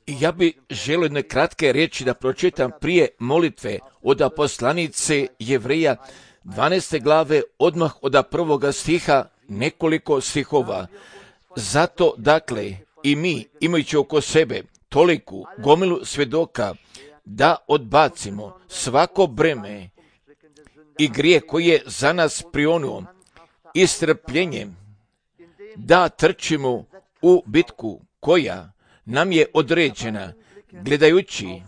I ja bi želio jedne kratke riječi da pročitam prije molitve od poslanice Jevreja 12. glave, odmah od prvoga stiha, nekoliko stihova. Zato, dakle, i mi, imajući oko sebe toliku gomilu svjedoka, da odbacimo svako breme i grijeh koji je za nas prionuo i strpljenjem, da trčimo u bitku koja nam je određena, gledajući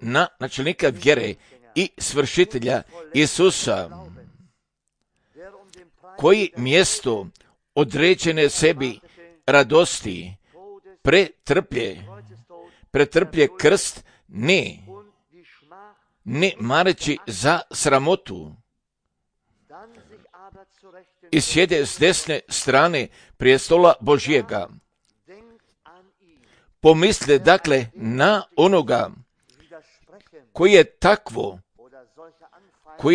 na načelnika vjere i svršitelja Isusa, koji mjesto određene sebi radosti pretrplje krst, ne mareći za sramotu, i sjede s desne strane prijestola Božjega. Pomisle dakle na onoga koji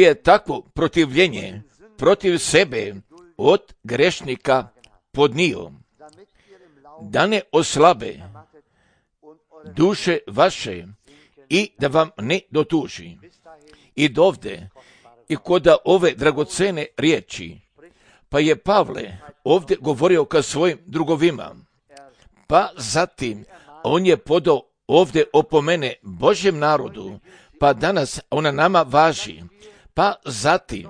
je takvo protivljenje protiv sebe od grešnika podnio, da ne oslabe duše vaše i da vam ne dotuži. I dovde, i kod ove dragocene riječi, pa je Pavle ovdje govorio ka svojim drugovima, pa zatim on je podao ovdje opomene Božjem narodu, pa danas ona nama važi, pa zatim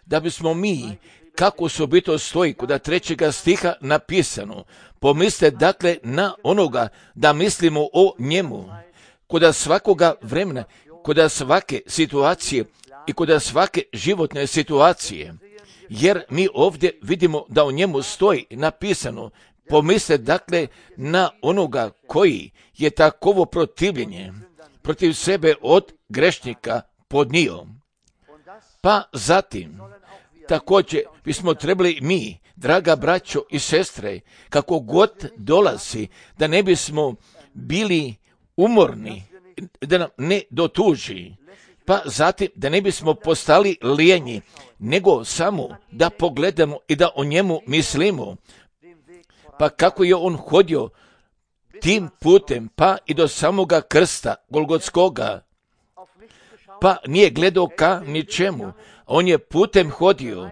da bismo mi, kako su bito stoji kod 3. stiha napisano, pomisle dakle na onoga da mislimo o njemu, kod svakoga vremena, kod svake situacije i kod svake životne situacije, jer mi ovdje vidimo da u njemu stoji napisano, pomisle dakle na onoga koji je takovo protivljenje protiv sebe od grešnika podnio. Pa zatim, također bismo trebali mi, draga braćo i sestre, kako god dolazi, da ne bismo bili umorni, da nam ne dotuži, pa zatim da ne bismo postali lijenji, nego samo da pogledamo i da o njemu mislimo, pa kako je on hodio tim putem, pa i do samoga krsta Golgotskoga, pa nije gledao ka ničemu, on je putem hodio,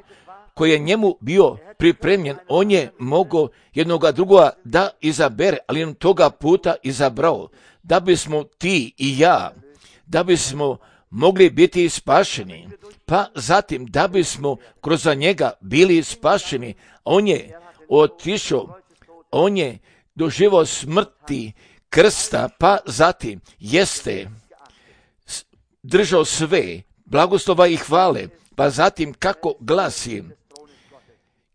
koji je njemu bio pripremljen, on je mogao jednoga drugoga da izabere, ali on toga puta izabrao, da bismo ti i ja, da bismo mogli biti spašeni, pa zatim da bismo kroz njega bili spašeni. On je otišao, on je doživao smrti krsta, pa zatim jeste držao sve blagoslova i hvale, pa zatim kako glasi,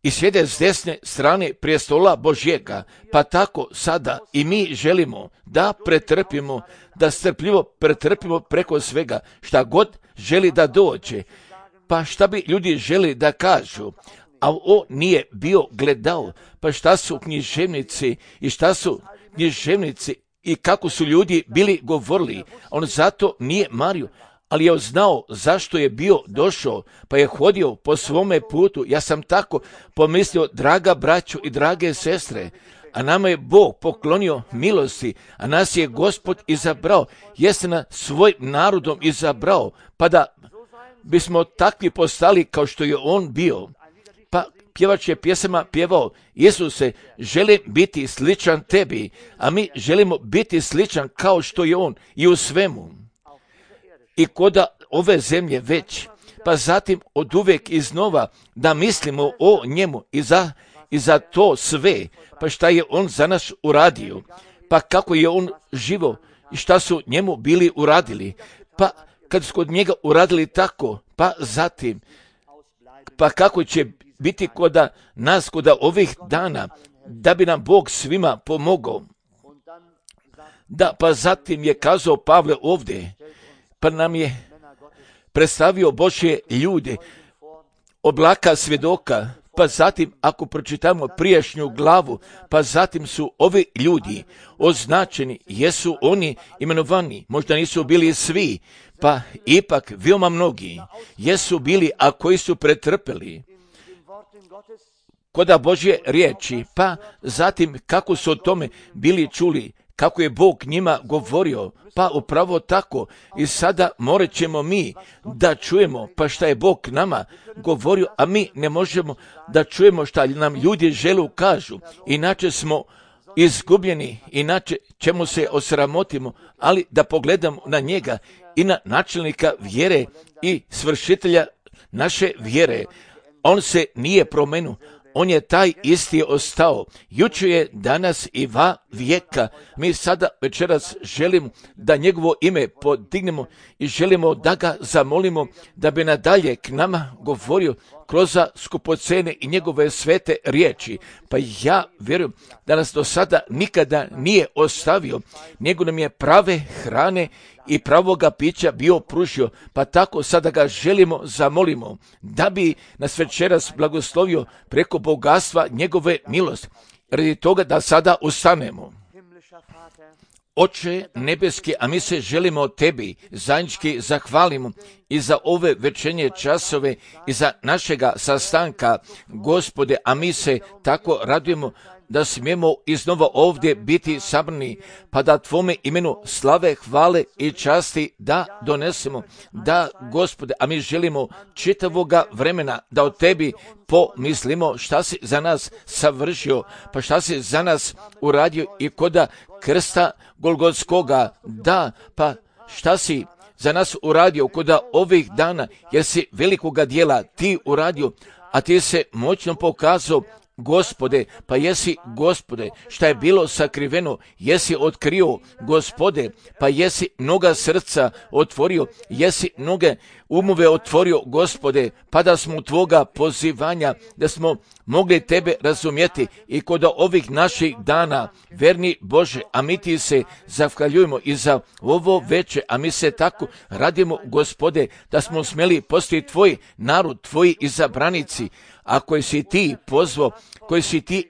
i sjede s desne strane prijestola Božjega, pa tako sada i mi želimo da pretrpimo, da strpljivo pretrpimo preko svega, šta god želi da dođe, pa šta bi ljudi želi da kažu, a on nije bio gledao, pa šta su književnici i kako su ljudi bili govorili, on zato nije mario, ali je znao zašto je bio došao, pa je hodio po svome putu. Ja sam tako pomislio, draga braćo i drage sestre, a nama je Bog poklonio milosti, a nas je Gospod izabrao, jeste nas svojim narodom izabrao, pa da bismo takvi postali kao što je on bio. Pa pjevač je pjesama pjevao, Isuse, želim biti sličan tebi, a mi želimo biti sličan kao što je on i u svemu. I kod ove zemlje već, pa zatim od uvijek iznova da mislimo o njemu i za to sve, pa šta je on za nas uradio, pa kako je on živo i šta su njemu bili uradili, pa kad su kod njega uradili tako, pa zatim, pa kako će biti kod nas, kod ovih dana, da bi nam Bog svima pomogao. Da, pa zatim je kazao Pavle ovdje, pa nam je predstavio Božje ljude, oblaka svjedoka, pa zatim ako pročitamo prijašnju glavu, pa zatim su ovi ljudi označeni, jesu oni imenovani, možda nisu bili svi, pa ipak veoma mnogi jesu bili, a koji su pretrpeli kod Božje riječi, pa zatim kako su o tome bili čuli, kako je Bog njima govorio, pa upravo tako i sada morat ćemo mi da čujemo pa šta je Bog nama govorio, a mi ne možemo da čujemo šta nam ljudi žele kažu, inače smo izgubljeni, inače ćemo se osramotimo, ali da pogledamo na njega i na načelnika vjere i svršitelja naše vjere. On se nije promenio, on je taj isti ostao, jučer je, danas i va vijeka. Mi sada večeras želimo da njegovo ime podignemo i želimo da ga zamolimo da bi nadalje k nama govorio kroz skupocene i njegove svete riječi. Pa ja vjerujem da nas do sada nikada nije ostavio, nego nam je prave hrane i pravoga pića bio pružio, pa tako sada ga želimo, zamolimo, da bi nas večeras blagoslovio preko bogatstva njegove milosti, radi toga da sada ustanemo. Oče nebeski, a mi se želimo tebi zajednički zahvalimo i za ove večernje časove i za našega sastanka, Gospode, a mi se tako radujemo da smijemo iznova ovdje biti sabrani, pa da tvome imenu slave, hvale i časti da donesemo. Da, Gospode, a mi želimo čitavoga vremena da o tebi pomislimo šta si za nas savršio, pa šta si za nas uradio i koda krsta Golgotskoga, da, pa šta si za nas uradio koda ovih dana, jer si velikoga dijela ti uradio, a ti se moćno pokazao, Gospode, pa jesi, Gospode, šta je bilo sakriveno, jesi otkrio, Gospode, pa jesi mnoga srca otvorio, jesi mnoge umove otvorio, Gospode, pa da smo u tvoga pozivanja, da smo mogli tebe razumjeti i kod ovih naših dana, verni Bože, a mi ti se zahvaljujemo i za ovo veče, a mi se tako radimo, Gospode, da smo smjeli postati tvoj narod, tvoji izabranici, a koji si ti pozvao, koji si ti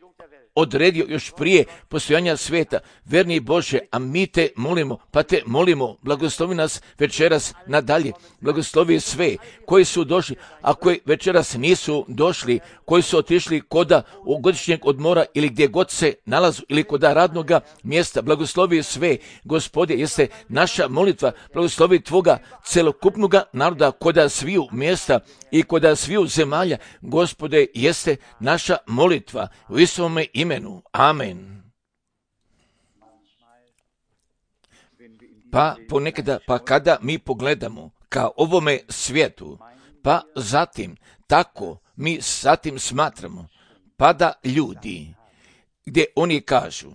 odredio još prije postojanja svijeta, verni Bože, a mi te molimo, pa te molimo, blagoslovi nas večeras nadalje, blagoslovi sve koji su došli, a koji večeras nisu došli, koji su otišli koda u godišnjeg odmora ili gdje god se nalazu ili koda radnoga mjesta, blagoslovi sve, Gospode, jeste naša molitva, blagoslovi tvoga celokupnoga naroda koda sviju mjesta i koda sviju zemalja, Gospode, jeste naša molitva u Isovome imenu. Amen. Pa ponekada, pa kada mi pogledamo ka ovome svijetu, pa zatim tako mi zatim smatramo, pa da ljudi, gdje oni kažu,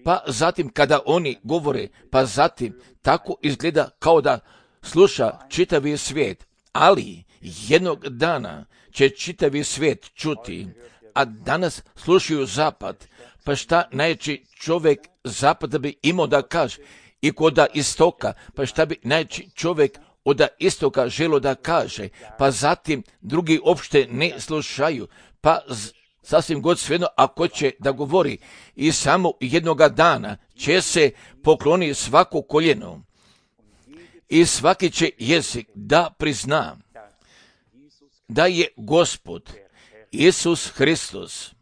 pa zatim kada oni govore, pa zatim tako izgleda kao da sluša čitavi svijet, ali jednog dana će čitavi svijet čuti, a danas slušaju zapad, pa šta najveći čovjek zapada bi imao da kaže, i koda istoka, pa šta bi najveći čovjek od istoka želo da kaže, pa zatim drugi uopšte ne slušaju, pa sasvim god svejedno ako će da govori i samo jednoga dana će se pokloni svako koljeno i svaki će jezik da prizna da je Gospod Isus Hristos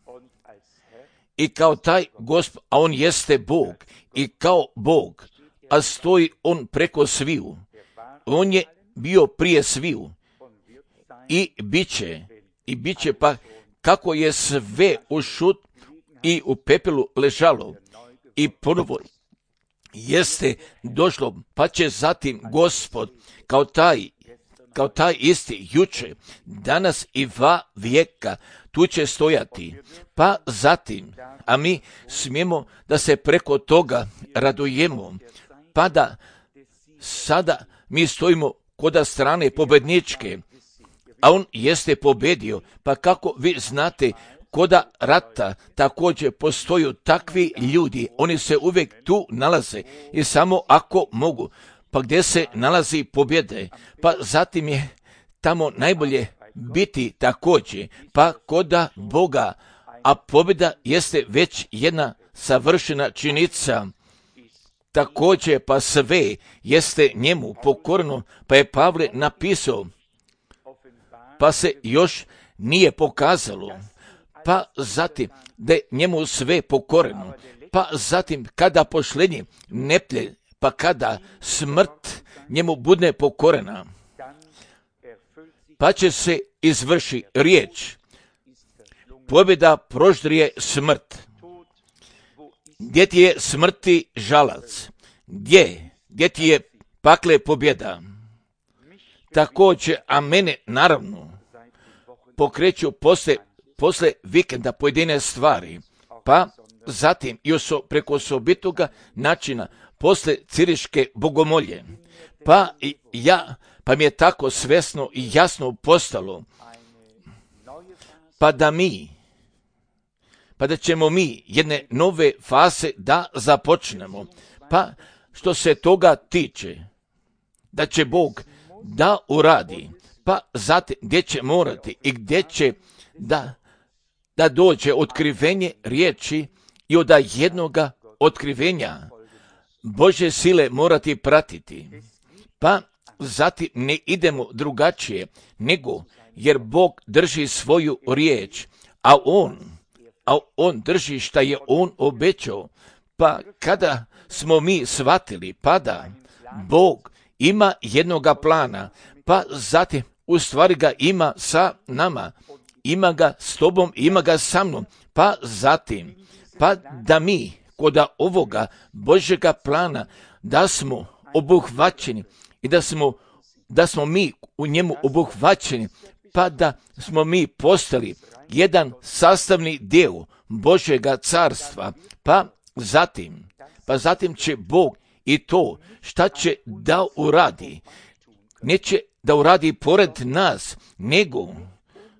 i kao taj Gospod, a on jeste Bog i kao Bog, a stoji on preko sviju. On je bio prije sviju i bit će pa kako je sve u šut i u pepelu ležalo i ponovo jeste došlo, pa će zatim Gospod kao taj isti juče, danas i va vijeka tu će stojati, pa zatim, a mi smijemo da se preko toga radujemo, pa da sada mi stojimo koda strane pobedničke, a on jeste pobedio, pa kako vi znate, koda rata također postoju takvi ljudi, oni se uvijek tu nalaze i samo ako mogu, pa gdje se nalazi pobjede, pa zatim je tamo najbolje biti također, pa koda Boga, a pobjeda jeste već jedna savršena činjenica. Također pa sve jeste njemu pokorno, pa je Pavle napisao, pa se još nije pokazalo, pa zatim da je njemu sve pokoreno, pa zatim kada pošlenje neplje, pa kada smrt njemu bude pokorena, pa će se izvrši riječ. Pobjeda proždrije smrt. Gdje ti je smrti žalac? Gdje ti je pakle pobjeda? Također, a mene naravno pokreću posle vikenda pojedine stvari, pa zatim i preko osobitoga načina posle ciriške bogomolje, pa mi je tako svesno i jasno postalo, pa da ćemo mi jedne nove faze da započnemo, pa što se toga tiče, da će Bog da uradi, pa zatim gdje će morati i gdje će da dođe otkrivenje riječi i od jednoga otkrivenja Božje sile morati pratiti, pa zatim ne idemo drugačije nego jer Bog drži svoju riječ, a on drži šta je on obećao, pa kada smo mi shvatili pa da Bog ima jednoga plana, pa zatim u stvari ga ima sa nama, ima ga s tobom, ima ga sa mnom, pa zatim, pa da mi kod ovoga Božjega plana da smo obuhvaćeni i da smo mi u njemu obuhvaćeni, pa da smo mi postali jedan sastavni dio Božjega carstva, pa zatim će Bog i to šta će da uradi, neće da uradi pored nas, nego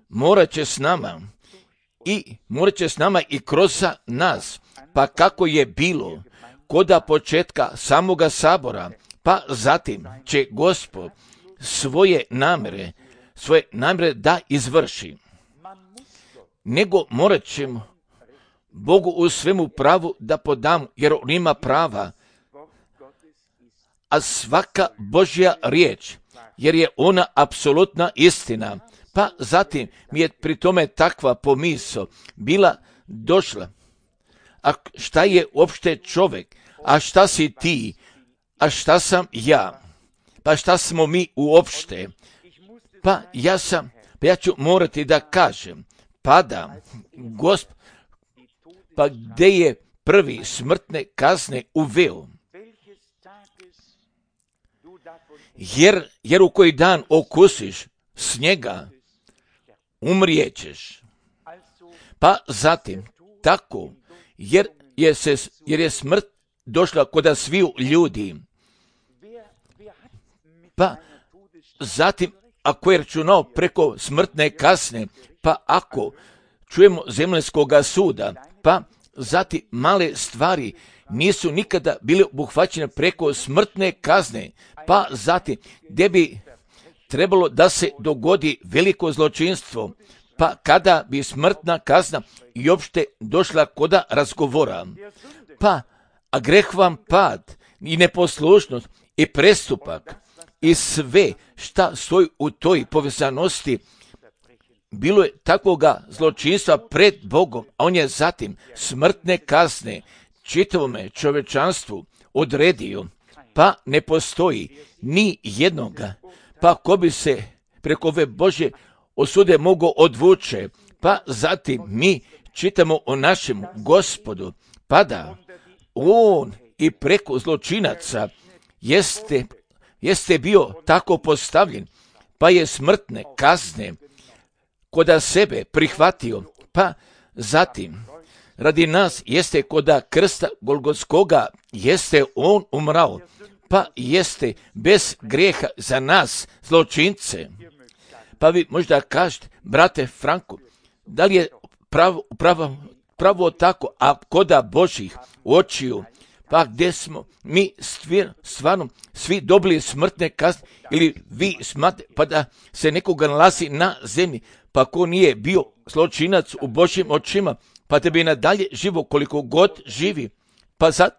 morat će s nama i kroz nas, pa kako je bilo koda početka samoga sabora, pa zatim će Gospod svoje namere da izvrši. Nego morat ćemo Bogu u svemu pravu da podam, jer on ima prava, a svaka Božja riječ, jer je ona apsolutna istina. Pa zatim mi je pri tome takva pomisao bila došla. A šta je uopšte čovjek? A šta si ti? A šta sam ja? Pa šta smo mi uopšte? Pa ja ću morati da kažem, pa gdje je prvi smrtne kazne uveo? Jer u koji dan okusiš s njega, umrijećeš. Pa zatim, tako, jer je smrt došla kod sviju ljudi. Pa zatim, ako je računao preko smrtne kazne, pa ako čujemo zemaljskoga suda, pa zatim male stvari nisu nikada bile obuhvaćene preko smrtne kazne, pa zatim gdje bi trebalo da se dogodi veliko zločinstvo, pa kada bi smrtna kazna i uopšte došla koda razgovora, a greh vam pad i neposlušnost i prestupak i sve šta stoji u toj povezanosti, bilo je takvoga zločinstva pred Bogom, a on je zatim smrtne kazne čitavome čovečanstvu odredio, pa ne postoji ni jednoga, pa ko bi se preko ove Božje osude mogao odvuče, pa zatim mi čitamo o našem Gospodu, pa da on i preko zločinaca jeste bio tako postavljen, pa je smrtne kazne koda sebe prihvatio, pa zatim radi nas jeste koda krsta Golgotskoga jeste on umrao, pa jeste bez grijeha za nas zločince. Pa vi možda kažete, brate Franko, da li je pravo tako, a koda Božih očiju, pa gdje smo mi stvarno svi dobili smrtne kazne, ili vi smatrate pa da se nekoga nalazi na zemlji, pa ko nije bio zločinac u Božjim očima, pa da bi nadalje živo koliko god živi, pa sad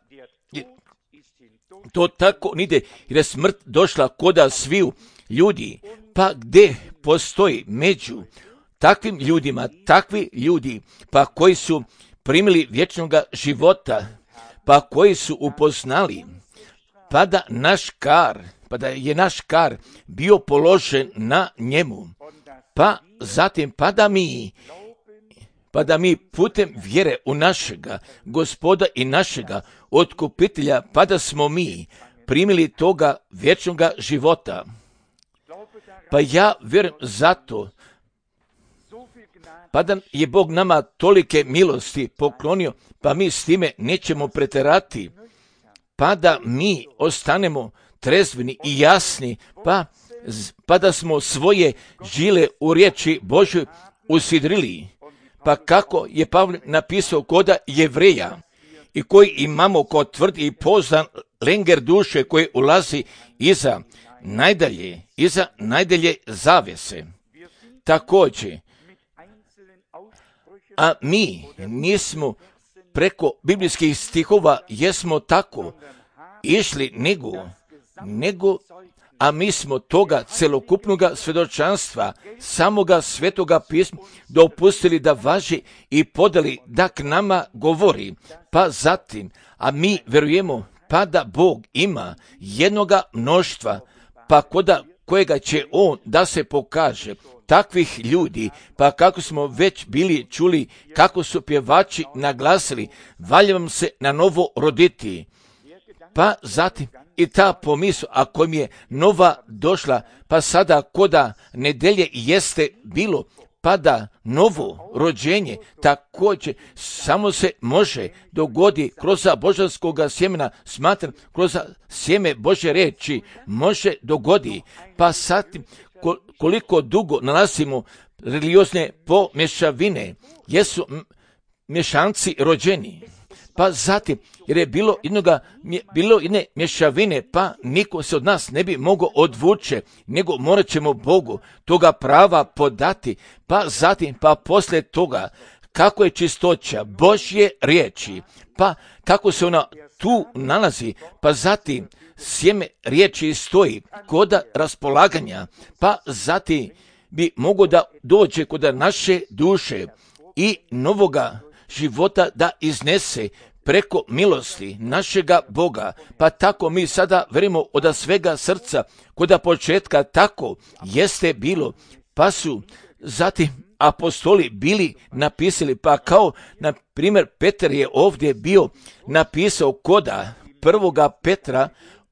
to tako nide, jer je smrt došla koda sviju ljudi, pa gdje postoji među takvim ljudima, takvi ljudi, pa koji su primili vječnoga života, pa koji su upoznali, pa da je naš kar bio položen na njemu, pa zatim pa da mi putem vjere u našega Gospoda i našega otkupitelja, pa da smo mi primili toga vječnoga života. Pa ja vjerujem zato, pa da je Bog nama tolike milosti poklonio, pa mi s time nećemo preterati, pa da mi ostanemo trezveni i jasni, pa da smo svoje žile u riječi Božoj usidrili. Pa kako je Pavle napisao koda Jevreja, i koji imamo kod tvrdi i poznan lenger duše koji ulazi iza najdalje zavese. Također, a mi nismo preko biblijskih stihova jesmo tako išli a mi smo toga celokupnoga svjedočanstva, samoga svetoga pisma, dopustili da važi i podali da k nama govori. Pa zatim, a mi vjerujemo pa da Bog ima jednoga mnoštva, pa kojega će On da se pokaže, takvih ljudi, pa kako smo već bili čuli, kako su pjevači naglasili, valja vam se na novo roditi. Pa zatim i ta pomisao, ako mi je nova došla, pa sada koda nedelje jeste bilo, pa da novo rođenje također samo se može dogodi kroz božanskoga sjemena, smatram, kroz sjeme Božje reči može dogodi. Pa sad koliko dugo nalazimo religiozne pomješavine, jesu mješanci rođeni. Pa zatim, jer je bilo jedne mješavine, pa niko se od nas ne bi mogao odvuče, nego morat ćemo Bogu toga prava podati. Pa zatim, pa poslije toga, kako je čistoća Božje riječi, pa kako se ona tu nalazi, pa zatim sjeme riječi stoji kod raspolaganja, pa zatim bi mogao da dođe kod naše duše i novoga života da iznese preko milosti našega Boga. Pa tako mi sada verimo od svega srca, kod početka tako jeste bilo, pa su zatim apostoli bili napisali, pa kao na primjer Petar je ovdje bio napisao koda 1. Petra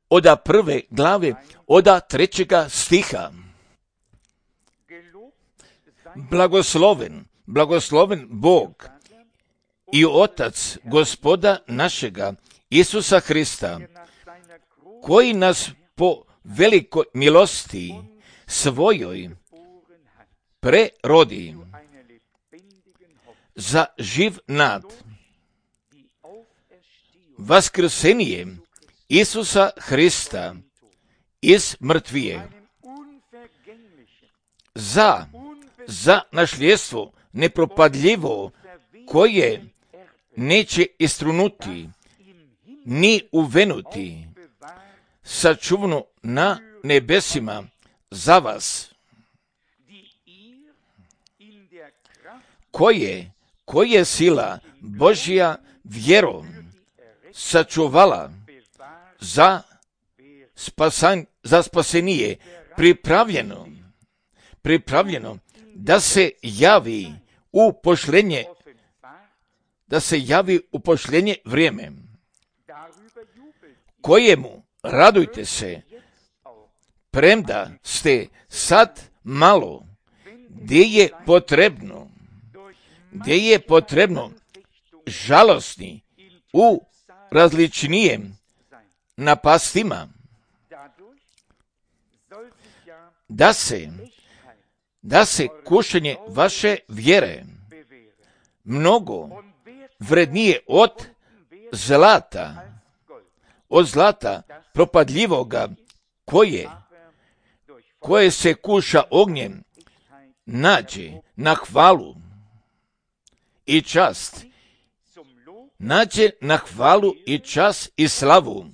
od 1. glave od 3. stiha. Blagosloven Bog i Otac Gospoda našega Isusa Hrista, koji nas po velikoj milosti svojoj prerodi za živ nad vaskrsenije Isusa Hrista iz mrtvije, za nasljedstvo nepropadljivo, koje neće istrunuti, ni uvenuti, sačuvano na nebesima za vas, koje sila Božja vjerom sačuvala za spasenije, pripravljeno da se javi u pošljenje vrijeme, kojemu radujte se, premda ste sad malo, gdje je potrebno žalosni u različnijem napastima, da se kušanje vaše vjere mnogo vrednije od zlata propadljivoga, koje se kuša ognjem, nađe na hvalu i čast, i slavu,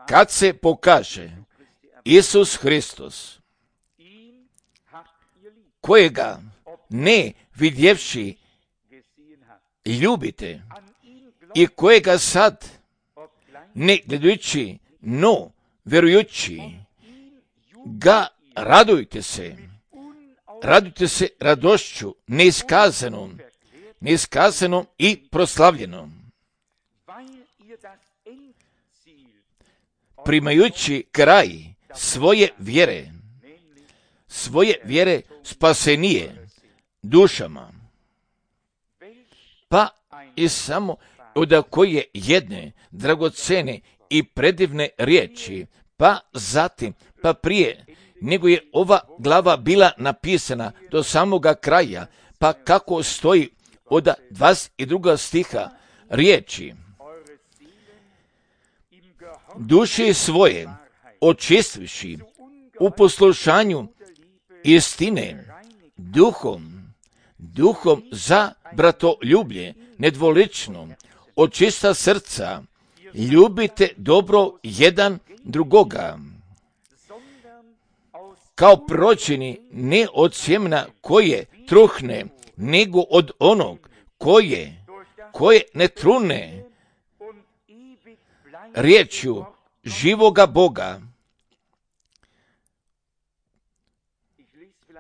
kad se pokaže Isus Hristos, kojega ne vidjevši ljubite, i kojega sad, ne gledajući, no vjerujući, ga radujte se radošću neiskazanom i proslavljenom, primajući kraj svoje vjere spasenije dušama, pa i samo od koje jedne dragocene i predivne riječi, pa zatim, pa prije nego je ova glava bila napisana do samoga kraja, pa kako stoji od 22. stiha riječi: duše svoje očistivši u poslušanju istine, duhom za bratoljublje nedvolično, od čista srca ljubite dobro jedan drugoga, kao prođeni ne od sjemena koje truhne, nego od onog koje ne trune, riječju živoga Boga,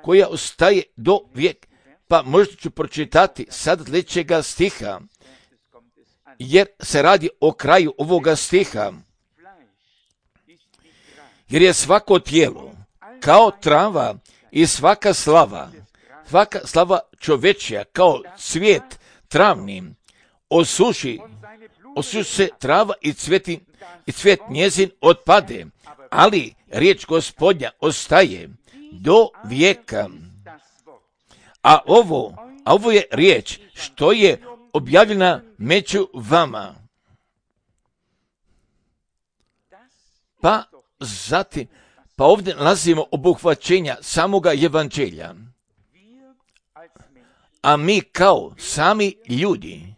koja ostaje do vijek. Pa možda ću pročitati sad sljedećega stiha, jer se radi o kraju ovoga stiha. Jer je svako tijelo kao trava i svaka slava čovečja kao cvijet travni, osuši se trava i cvijet njezin otpade, ali riječ Gospodnja ostaje do vijeka. A ovo je riječ što je objavljena među vama. Pa zatim, pa ovdje nalazimo obuhvaćenja samoga evanđelja. A mi kao sami ljudi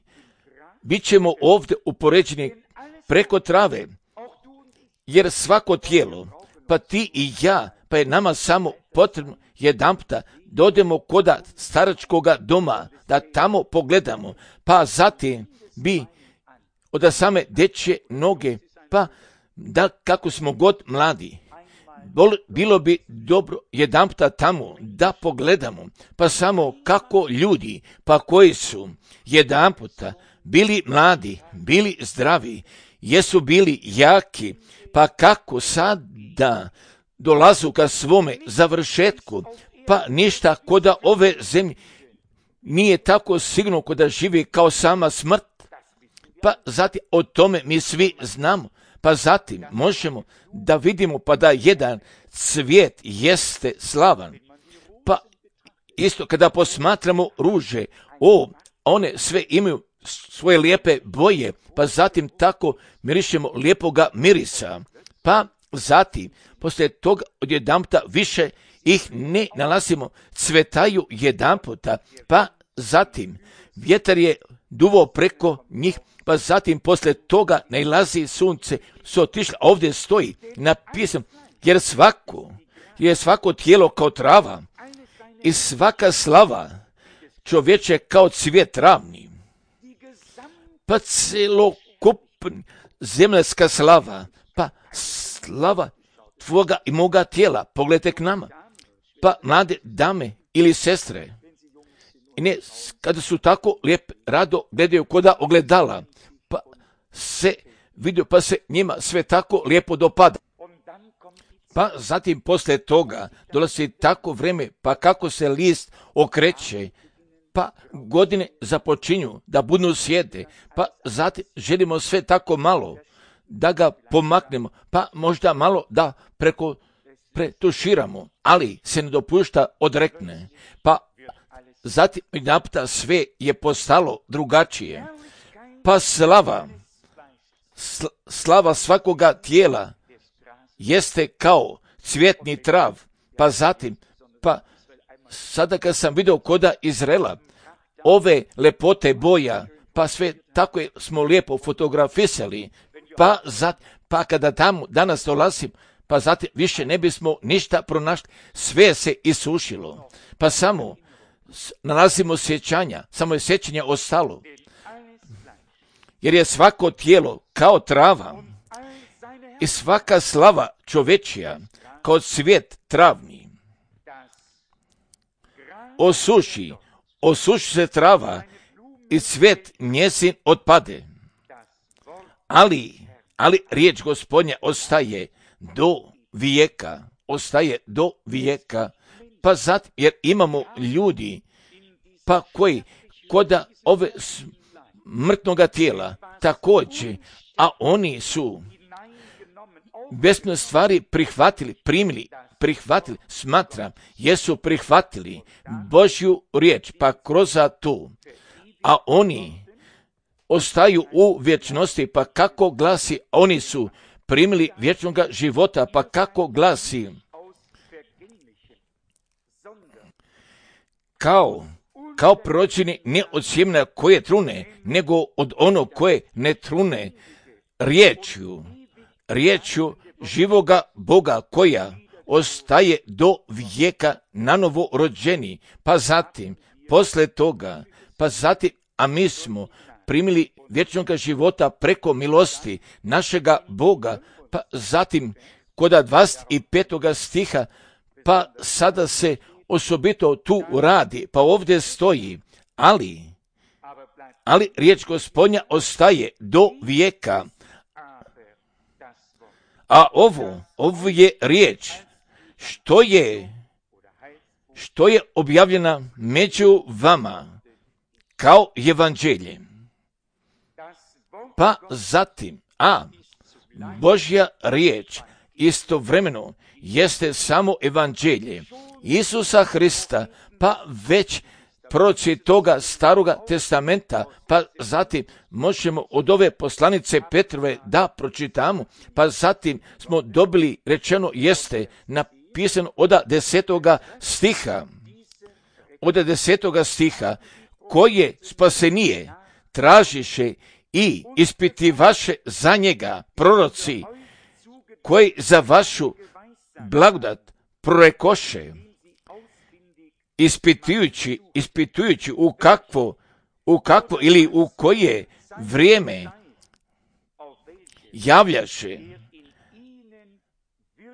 bit ćemo ovdje upoređeni preko trave, jer svako tijelo, pa ti i ja, pa je nama samo potrebno jedanputa dodemo koda staračkoga doma, da tamo pogledamo, pa zatim bi od same dečje noge, pa da kako smo god mladi, bilo bi dobro jedanputa tamo da pogledamo, pa samo kako ljudi, pa koji su jedanputa bili mladi, bili zdravi, jesu bili jaki, pa kako sad da dolazu ka svome završetku, pa ništa koda ove zemlje nije tako sigurno koda živi kao sama smrt, pa zatim o tome mi svi znamo, pa zatim možemo da vidimo pa da jedan cvijet jeste slavan, pa isto kada posmatramo ruže, one sve imaju svoje lijepe boje, pa zatim tako mirišemo lijepoga mirisa, pa zatim poslije toga odjedanputa više ih ne nalazimo, cvetaju jedanputa, pa zatim vjetar je duvao preko njih, pa zatim poslije toga nailazi sunce, su otišli, ovdje stoji napisano, jer svako tijelo kao trava i svaka slava čovječe kao cvijet travni, pa celokupna zemaljska slava, pa slava tvoga i moga tijela, pogledajte k nama, pa mlade dame ili sestre, i ne, kada su tako lijepe, rado gledaju koda ogledala, pa se vidio, pa se njima sve tako lijepo dopada. Pa zatim poslije toga dolazi tako vrijeme, pa kako se list okreće, pa godine započinju da budu sjede, pa zatim želimo sve tako malo da ga pomaknemo, pa možda malo da pretuširamo, ali se ne dopušta odrekne, pa zatim naputa sve je postalo drugačije, pa slava svakoga tijela jeste kao cvjetni trav, pa zatim, pa sada kad sam vidio koda Izraela, ove lepote boja, pa sve tako smo lijepo fotografisali, pa kada tamo danas dolazim, pa zatim više ne bismo ništa pronašli, sve se isušilo, pa samo nalazimo sjećanja, samo je sjećanje ostalo. jer je svako tijelo kao trava i svaka slava čovečija kao cvijet travni. Osuši se trava i cvijet njezin otpade. Ali riječ Gospodnja ostaje do vijeka, pa zato jer imamo ljudi, pa koji koda ove mrtnoga tijela također, a oni su besne stvari prihvatili, smatram, jesu prihvatili Božju riječ, pa kroz to, a oni ostaju u vječnosti, pa kako glasi, oni su primili vječnoga života, pa kako glasi, kao proročeni ne od sjemena koje trune, nego od onog koje ne trune, riječju živoga Boga koja ostaje do vijeka nanovo rođeni, pa zatim, posle toga, a mi smo primili vječnoga života preko milosti našega Boga, pa zatim kod 25. stiha, pa sada se osobito tu radi, pa ovdje stoji, ali riječ Gospodnja ostaje do vijeka, a ovo je riječ što je objavljena među vama kao evanđelje. Pa zatim, Božja riječ istovremeno jeste samo evanđelje Isusa Hrista, pa već proroci toga staroga testamenta, pa zatim možemo od ove poslanice Petrove da pročitamo, pa zatim smo dobili rečeno jeste napisano od 10. stiha, koje spasenije tražiše i ispitivaše za njega proroci, koji za vašu blagodat prorekoše, ispitujući u kakvo ili u koje vrijeme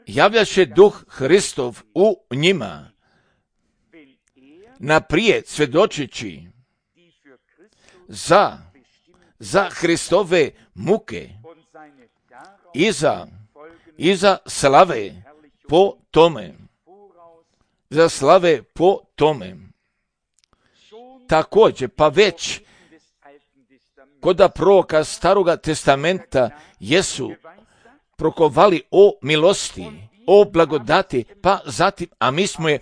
javljaše Duh Hristov u njima, naprijed svjedočeći za Hristove muke i za slave po tome. Također, pa već kod proroka staroga testamenta jesu prokovali o milosti, o blagodati, pa zatim, a mi smo je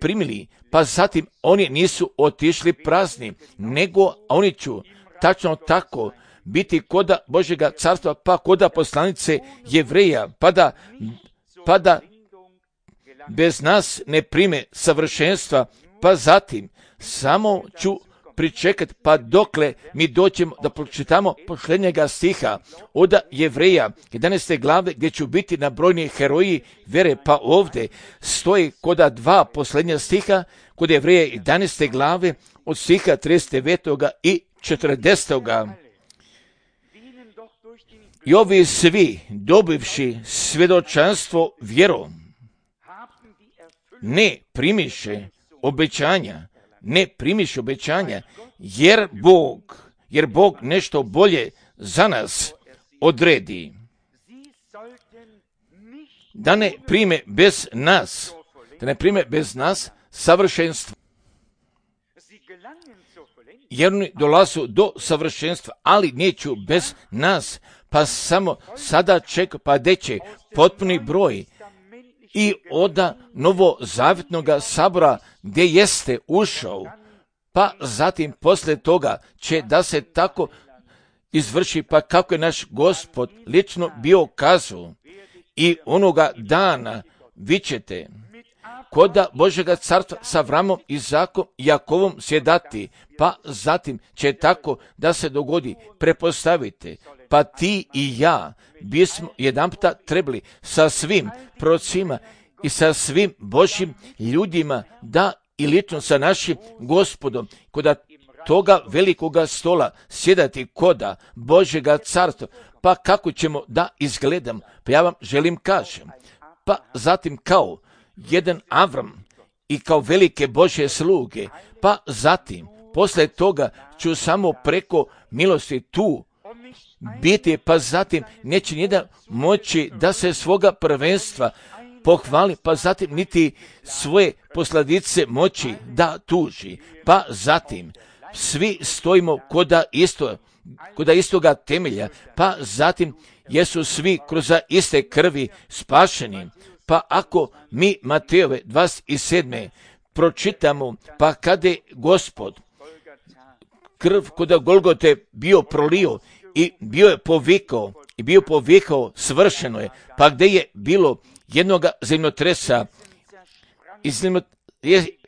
primili, pa zatim oni nisu otišli prazni, nego oni ću tačno tako biti koda Božjega carstva, pa koda poslanice Jevreja, pa da bez nas ne prime savršenstva, pa zatim samo ću pričekati, pa dokle mi doćemo da pročitamo posljednjega stiha od Jevreja 11. glave, gdje ću biti nabrojni heroji vere, pa ovdje stoji koda 2 posljednja stiha, kod Jevreja 11. glave od stiha 39. i 40. I ovi svi, dobivši svjedočanstvo vjerom, ne primiše obećanja, jer Bog nešto bolje za nas odredi. Da ne prime bez nas savršenstvo. Jer oni dolazu do savršenstva, ali neću bez nas, pa samo sada čeka, pa deće potpuni broj i od novozavjetnog sabora gdje jeste ušao, pa zatim poslije toga će da se tako izvrši, pa kako je naš Gospod lično bio kazao, i onoga dana vi ćete koda Božjega carstva sa Avramom, Izakom i Jakovom sjedati, pa zatim će tako da se dogodi. Prepostavite, pa ti i ja bismo jedanputa trebali sa svim prorocima i sa svim Božjim ljudima da i lično sa našim Gospodom, koda toga velikoga stola sjedati koda Božjega carstva. Pa kako ćemo da izgledam? Pa ja vam želim kažem. Pa zatim kao jedan Avram i kao velike Božje sluge, pa zatim posle toga ću samo preko milosti tu biti, pa zatim neće nijedan moći da se svoga prvenstva pohvali, pa zatim niti svoje posledice moći da tuži. Pa zatim svi stojimo koda istoga temelja, pa zatim jesu svi kroz iste krvi spašeni. Pa ako mi Matejove 27. pročitamo, pa kada je Gospod krv koda Golgote bio prolio i bio povikao svršeno je, pa gdje je bilo jednoga zemljotresa,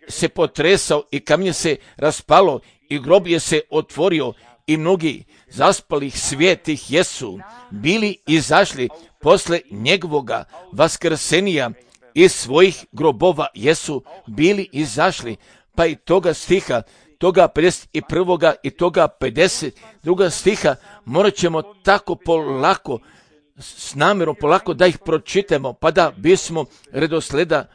se potresao i kamenje se raspalo i grob je se otvorio i mnogi zaspalih svijetih jesu bili izašli posle njegovoga vaskrsenija iz svojih grobova jesu bili izašli. Pa i toga stiha, toga 51. i toga 52. stiha morat ćemo tako polako, s namjerom polako da ih pročitamo, pa da bismo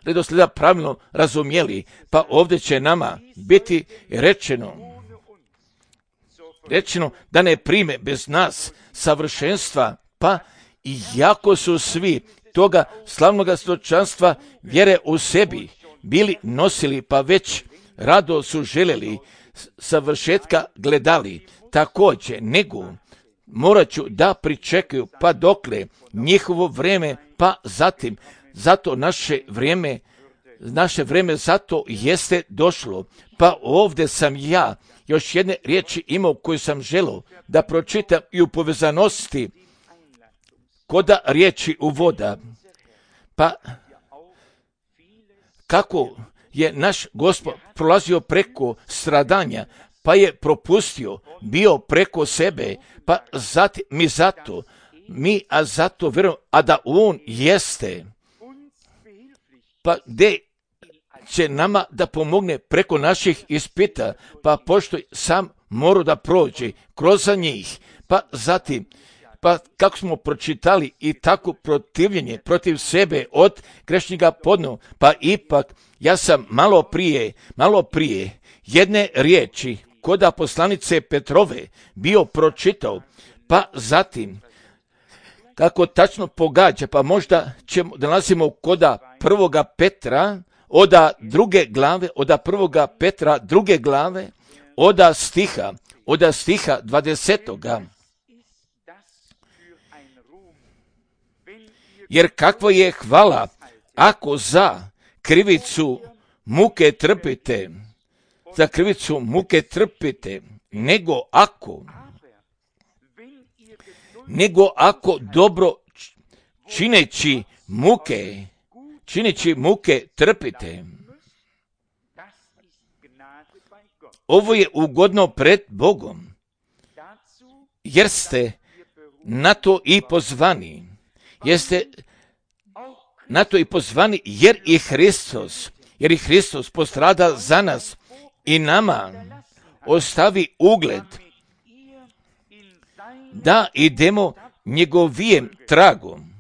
redosleda pravilno razumjeli. Pa ovdje će nama biti rečeno da ne prime bez nas savršenstva, pa iako su svi toga slavnoga stočanstva vjere u sebi bili nosili, pa već rado su željeli savršetka gledali, također nego morat ću da pričekaju pa dokle njihovo vrijeme, pa zatim zato naše vrijeme zato jeste došlo. Pa ovdje sam ja još jedne riječi imao koju sam želio da pročitam i u povezanosti koda riječi uvoda. Pa kako je naš Gospod prolazio preko stradanja, pa je propustio, bio preko sebe, pa zatim zato vjerujemo, a da on jeste, pa gdje će nama da pomogne preko naših ispita, pa pošto sam morao da prođe kroz njih, pa zatim, pa kako smo pročitali i tako protivljenje protiv sebe od grešnjega podno, pa ipak ja sam malo prije jedne riječi koda poslanice Petrove bio pročitao, pa zatim kako tačno pogađa, pa možda ćemo da nalazimo koda 1. Petra, oda 2. glave, oda 1. Petra 2. glave, oda stiha 20. Jer kakva je hvala ako za krivicu muke trpite, nego ako dobro čineći muke trpite. Ovo je ugodno pred Bogom, jer ste na to i pozvani. Jer i Hristos postrada za nas i nama ostavi ugled da idemo njegovijem tragom,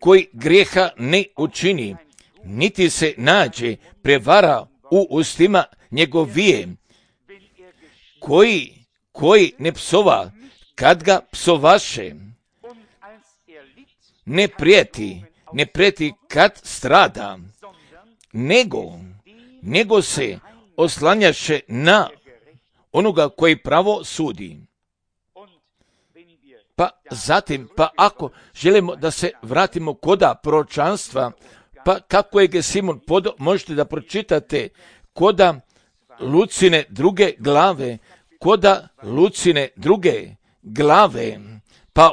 koji grijeha ne učini, niti se nađe prevara u ustima njegovijem, koji ne psova kad ga psovaše, ne prijeti kad strada, nego se oslanjaše na onoga koji pravo sudi. Pa zatim, pa ako želimo da se vratimo koda proročanstva, pa kako je Simon podao, možete da pročitate koda Lucine 2. glave, pa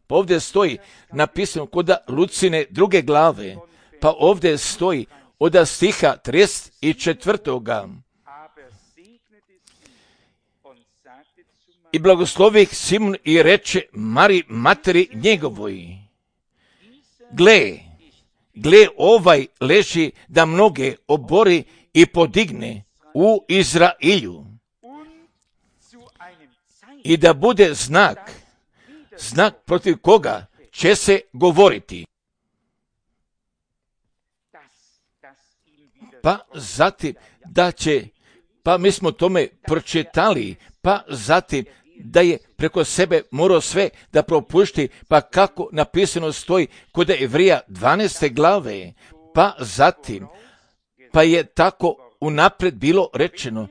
ovdje stoji napisano koda Lucine 2. glave, pa ovdje stoji od stiha 34. I blagoslovih Simon i reče Mari materi njegovoj, gle ovaj leži da mnoge obori i podigne u Izrailju i da bude znak protiv koga će se govoriti. Pa zatim mi smo tome pročitali, pa zatim da je preko sebe morao sve da propušti, pa kako napisano stoji kod Evrija 12. glave, pa zatim, pa je tako unaprijed bilo rečeno,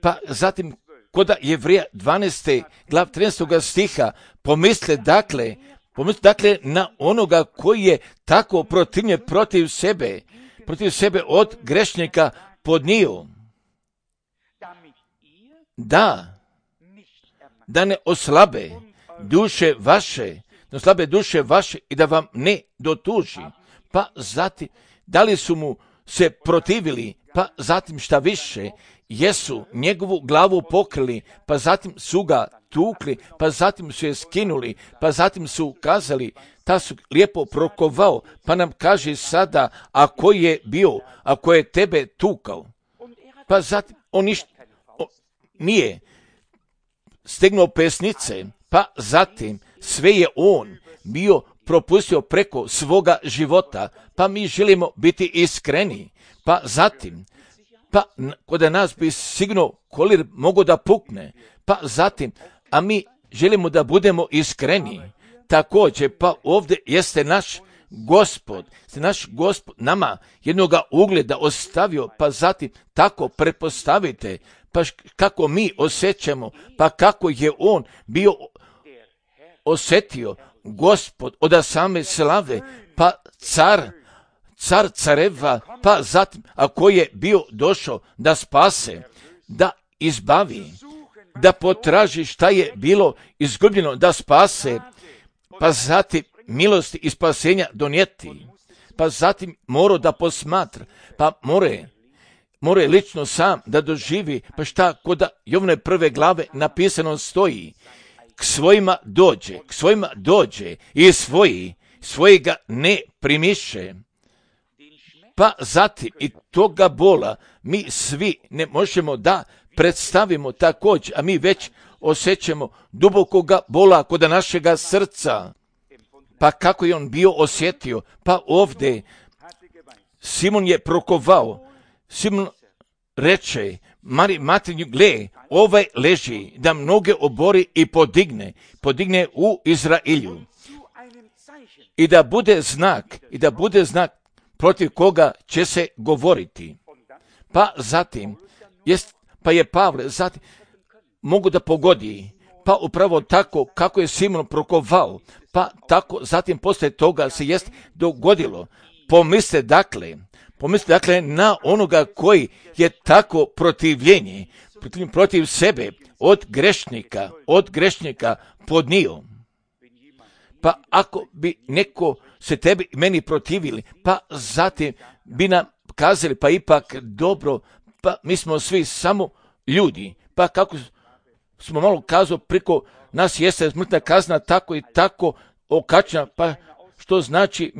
pa zatim kod Evrija 12. glav 13. stiha, pomisle dakle na onoga koji je tako protivljen protiv sebe od grešnika podnio, da ne oslabe duše vaše i da vam ne dotuži. Pa zatim, da li su mu se protivili, pa zatim šta više, jesu njegovu glavu pokrili, pa zatim su ga tukli, pa zatim su je skinuli, pa zatim su kazali, ta su lijepo prokovao, pa nam kaže sada, ako je tebe tukao, pa zatim on nije stegnuo pesnice, pa zatim sve je on bio propustio preko svoga života, pa mi želimo biti iskreni, pa zatim, kod nas bi sigurno kolir mogao da pukne, pa zatim, a mi želimo da budemo iskreni, također, pa ovdje jeste naš Gospod nama jednoga ugleda ostavio, pa zatim tako pretpostavite, pa kako mi osjećamo, pa kako je on bio osjetio, Gospod od same slave, pa car careva, pa zatim ako je bio došao da spase, da izbavi, da potraži šta je bilo izgubljeno, da spase, pa zatim milosti i spasenja donijeti, pa zatim mora da posmatra, pa more lično sam da doživi, pa šta kod Jovne 1. glave napisano stoji, k svojima dođe i svojega ne primiše. Pa zatim i toga bola mi svi ne možemo da predstavimo također, a mi već osjećamo dubokoga bola kod našega srca. Pa kako je on bio osjetio? Pa ovdje Simon je prokovao, Simon reče Mari materinju, gle, ovaj leži da mnoge obori i podigne u Izrailju. I da bude znak protiv koga će se govoriti. Pa zatim, pa je Pavle zatim mogu da pogodi, pa upravo tako kako je Simon prokovao, pa tako zatim poslije toga se jest dogodilo. Pomisle dakle na onoga koji je tako protivljenje protiv sebe od grešnika podnio. Pa ako bi neko se tebi i meni protivili, pa zatim bi nam kazali, pa ipak dobro, pa mi smo svi samo ljudi, pa kako smo malo kazali, preko nas jeste smrtna kazna tako i tako okačena, pa što znači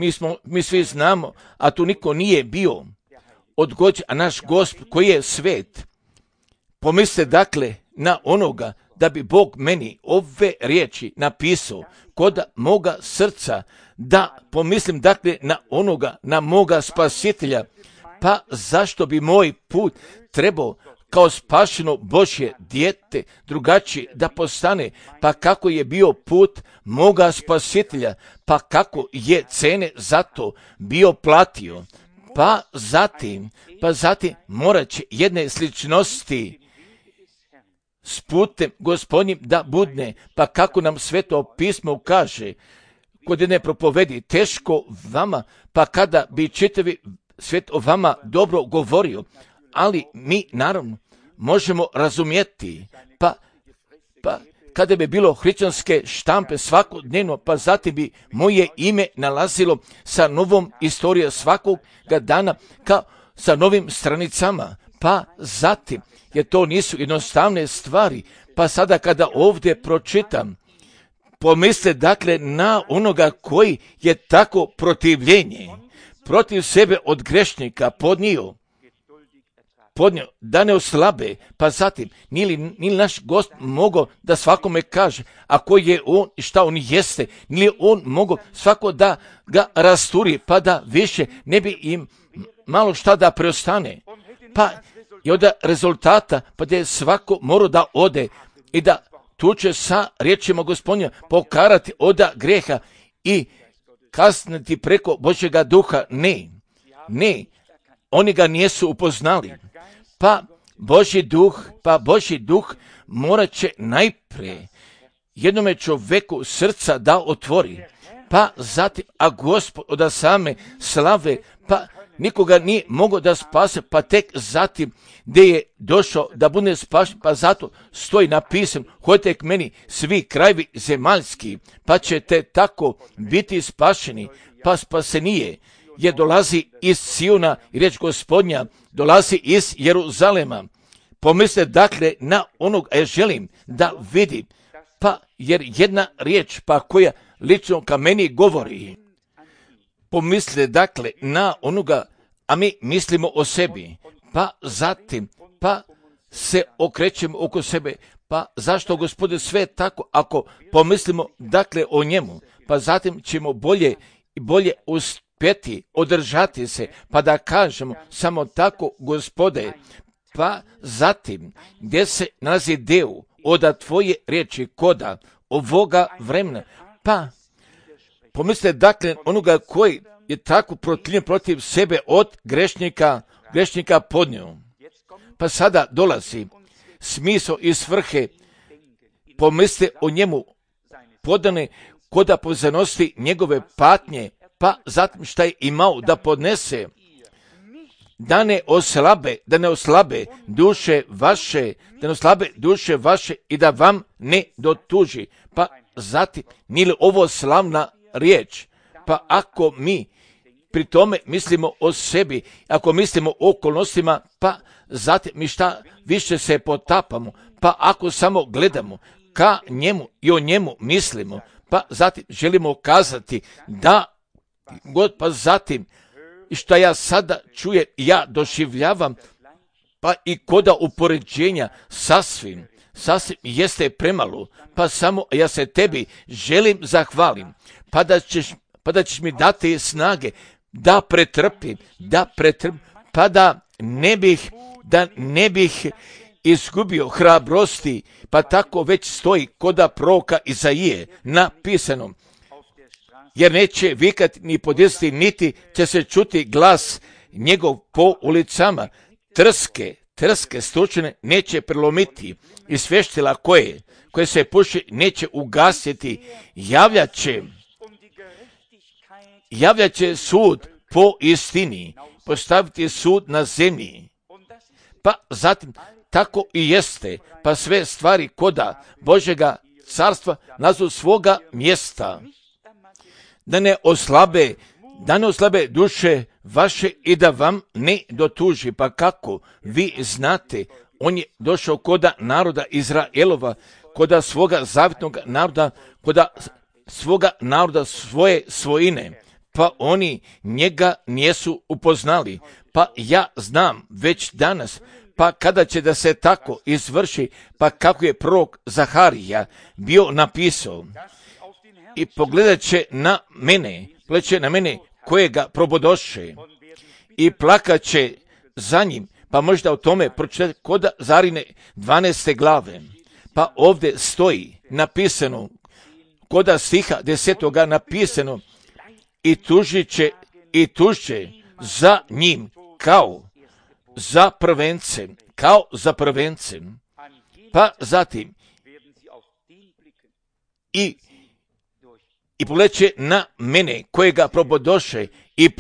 mi svi znamo, a tu niko nije bio odgođen, a naš Gospod koji je svet. Pomislite dakle na onoga da bi Bog meni ove riječi napisao kod moga srca, da pomislim dakle na onoga, na moga spasitelja, pa zašto bi moj put trebao kao spašeno Božje dijete drugačije da postane, pa kako je bio put moga spasitelja, pa kako je cene za to bio platio, pa zatim morat će jedne sličnosti s putem Gospodnjim da budne, pa kako nam Sveto pismo kaže, kod jedne propovedi, teško vama, pa kada bi čitavi svijet o vama dobro govorio, ali mi naravno možemo razumjeti, pa kada bi bilo hrišćanske štampe svakodnevno, pa zatim bi moje ime nalazilo sa novom istorijom svakoga dana, kao sa novim stranicama, pa zatim, jer to nisu jednostavne stvari, pa sada kada ovdje pročitam, pomisle dakle na onoga koji je tako protivljenje protiv sebe od grešnika podnio, podnio, da ne oslabe, pa zatim, nije naš Gost mogao da svakome kaže, a ko je on i šta on jeste, nije on mogao svako da ga rasturi, pa da više ne bi im malo šta da preostane. Pa i od rezultata, pa da je svako morao da ode i da tu će sa riječima Gospodnja pokarati od greha i kasniti preko Božjega duha. Ne, oni ga nisu upoznali. Pa Božji duh morat će najprije jednome čovjeku srca da otvori, pa zatim, a Gospod od same slave, pa nikoga nije mogao da spase, pa tek zatim gdje je došao da bude spašen, pa zato stoji napisan, hodite k meni svi krajevi zemaljski, pa ćete tako biti spašeni, pa spasenije jer dolazi iz Siona i riječ Gospodnja dolazi iz Jeruzalema. Pomisle dakle na onog, ja želim da vidim, pa jer jedna riječ pa koja lično ka meni govori. Pomisle dakle na onoga, a mi mislimo o sebi, pa zatim, pa se okrećemo oko sebe, pa zašto Gospode sve tako, ako pomislimo dakle o njemu, pa zatim ćemo bolje uspjeti održati se, pa da kažemo samo tako Gospode, pa zatim gdje se nalazi deo od tvoje riječi koda ovoga vremena, pa pomisle dakle onoga koji je tako protiv sebe od grešnika podnio. Pa sada dolazi smisao i svrhe, pomisle o njemu podane koda pozanosti njegove patnje, pa zatim šta je imao da podnese, da ne oslabe duše vaše i da vam ne dotuži. Pa zatim, nije li ovo slavna riječ? Pa ako mi pri tome mislimo o sebi, ako mislimo o okolnostima, pa zatim mi šta više se potapamo, pa ako samo gledamo ka njemu i o njemu mislimo, pa zatim želimo kazati da God, pa zatim i što ja sada čujem, ja doživljavam, pa i koda upoređenja sasvim jeste premalo, pa samo ja se tebi želim zahvalim, pa da ćeš mi dati snage da pretrpim, pa da ne bih izgubio hrabrosti, pa tako već stoji koda proroka Izaije napisano, jer neće vikati ni podizati, niti će se čuti glas njegov po ulicama. Trske stručne neće prelomiti i svještila koje se puši neće ugasiti. Javljat će sud po istini, postaviti sud na zemlji. Pa zatim tako i jeste, pa sve stvari koda Božjega carstva nazu svoga mjesta. Da ne oslabe duše vaše i da vam ne dotuži. Pa kako vi znate, on je došao koda naroda Izraelova, koda svoga zavjetnog naroda, koda svoga naroda svoje svojine, pa oni njega nisu upoznali. Pa ja znam već danas, pa kada će da se tako izvrši, pa kako je prorok Zaharija bio napisao, i pogledat će na mene kojega probodoše i plakat će za njim, pa možda o tome pročitati kod Zarine 12. glave. Pa ovdje stoji napisano, koda stiha 10. napisano, i tužće za njim kao za prvencem. Pa zatim i pogledat na mene kojega probodoše i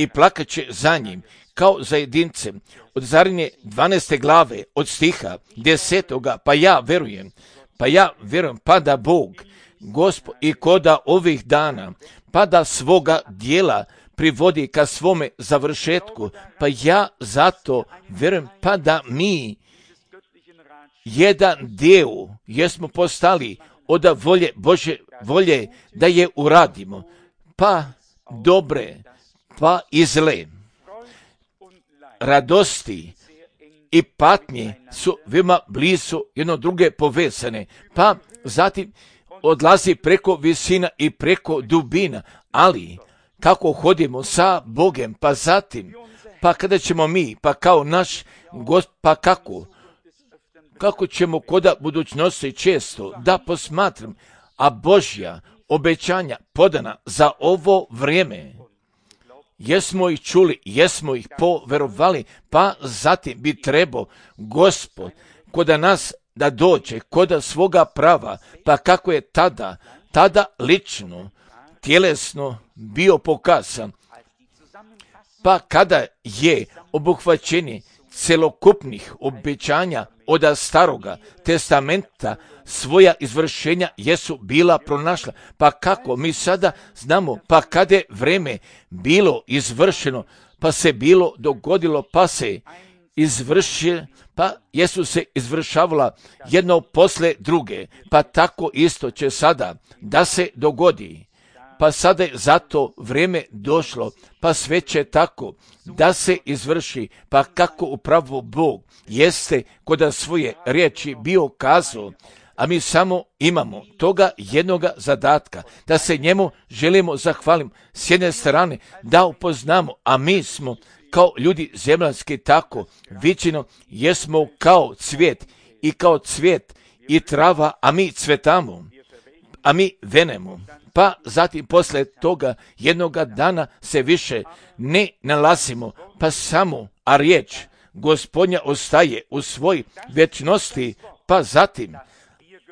plakat će za njim kao za jedincem. Od Zarine 12. glave od stiha 10. pa ja verujem, pa da Bog, Gospod i koda ovih dana, pa da svoga dijela privodi ka svome završetku, pa ja zato verujem, pa da mi jedan dio jesmo postali od Božje volje da je uradimo, pa dobre, pa i zle, radosti i patnje su veoma blizu jedno druge povezane, pa zatim odlazi preko visina i preko dubina, ali kako hodimo sa Bogem, pa zatim, pa kada ćemo mi, pa kao naš Gospod, pa kako ćemo koda budućnosti često da posmatram, a Božja obećanja podana za ovo vrijeme, jesmo ih čuli, jesmo ih poverovali, pa zatim bi trebao Gospod koda nas da dođe koda svoga prava, pa kako je tada lično, tjelesno bio pokazan, pa kada je obuhvaćenje celokupnih obećanja od staroga testamenta svoja izvršenja jesu bila pronašla, pa kako mi sada znamo, pa kada je vreme bilo izvršeno, pa se bilo dogodilo, pa se izvršilo, pa jesu se izvršavala jedno posle druge, pa tako isto će sada da se dogodi. Pa sada je zato vrijeme došlo, pa sve će tako da se izvrši, pa kako upravo Bog jeste kod svoje riječi bio kazao, a mi samo imamo toga jednoga zadatka, da se njemu želimo zahvaliti s jedne strane, da upoznamo, a mi smo kao ljudi zemljanski tako viđeno, jesmo kao cvijet i trava, a mi cvetamo, a mi venemo. Pa zatim posle toga jednoga dana se više ne nalazimo, pa samo, a riječ Gospodnja ostaje u svoj vječnosti, pa zatim,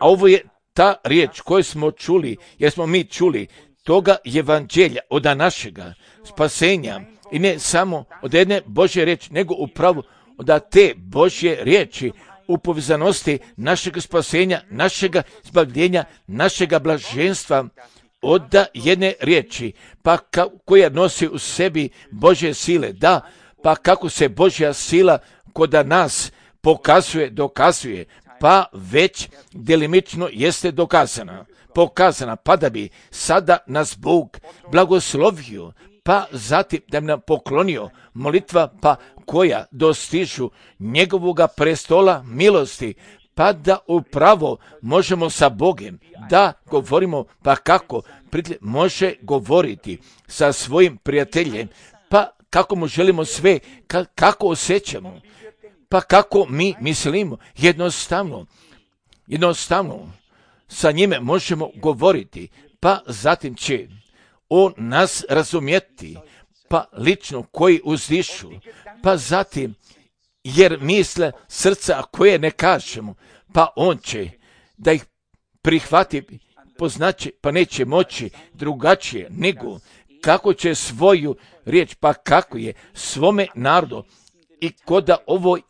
a ovo je ta riječ koju smo čuli, jer smo mi čuli toga evanđelja od našega spasenja, i ne samo od jedne Božje riječi, nego upravo od te Božje riječi u povezanosti našeg spasenja, našega zbavljenja, našega blaženstva, od jedne riječi, pa koja nosi u sebi Božje sile, da, pa kako se Božja sila kod nas dokazuje, pa već delimično jeste pokazana, pa da bi sada nas Bog blagoslovio, pa zatim da bi nam poklonio molitva, pa koja dostižu njegovoga prestola milosti, pa da upravo možemo sa Bogem da govorimo, pa kako može govoriti sa svojim prijateljem, pa kako mu želimo sve, kako osjećamo, pa kako mi mislimo, jednostavno sa njime možemo govoriti, pa zatim će on nas razumjeti, pa lično koji uzdišu, pa zatim jer misle srca koje ne kažemo, pa on će da ih prihvati, poznaće, pa neće moći drugačije nego kako će svoju riječ, pa kako je svome narodu i koda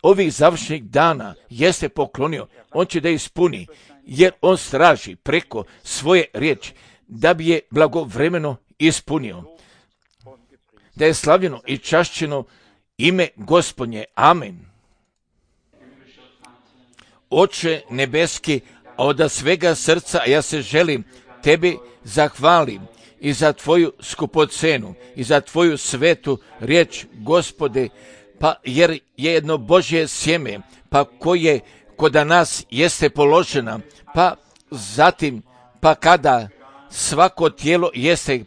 ovih završnih dana jeste poklonio, on će da ispuni, jer on straži preko svoje riječi da bi je blagovremeno ispunio. Da je slavljeno i čašćeno ime Gospodnje. Amen. Oče nebeski, a od svega srca ja se želim tebi zahvalim i za tvoju skupocenu i za tvoju svetu riječ, Gospode, pa jer je jedno Božje sjeme, pa koje kod nas jeste položena, pa zatim, pa kada svako tijelo jeste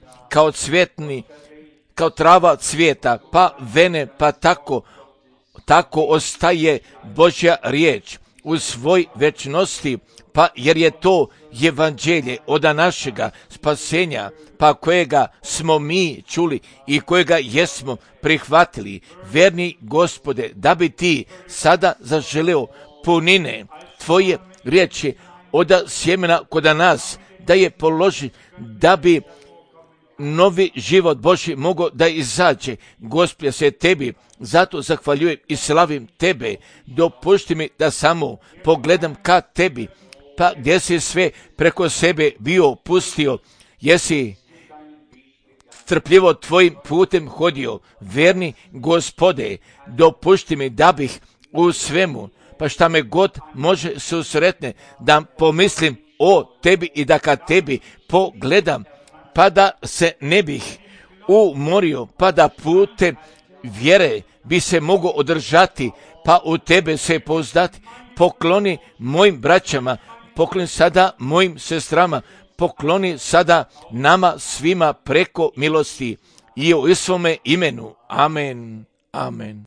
kao trava cvijeta, pa vene, pa tako ostaje Božja riječ u svoj večnosti, pa jer je to evanđelje od našega spasenja, pa kojega smo mi čuli i kojega jesmo prihvatili, verni Gospode, da bi ti sada zaželeo punine tvoje riječi od sjemena kod nas, da je položi, da bi novi život Božji mogao da izađe. Gospode, se tebi zato zahvaljujem i slavim tebe. Dopušti mi da samo pogledam ka tebi, pa gdje si sve preko sebe bio pustio, jesi trpljivo tvojim putem hodio. Verni Gospode, dopušti mi da bih u svemu, pa šta me god može susretne, da pomislim o tebi i da ka tebi pogledam, pa da se ne bih umorio, pa da putem vjere bi se mogao održati, pa u tebe se pouzdati. Pokloni mojim braćama, pokloni sada mojim sestrama, pokloni sada nama svima preko milosti i u svome imenu. Amen. Amen.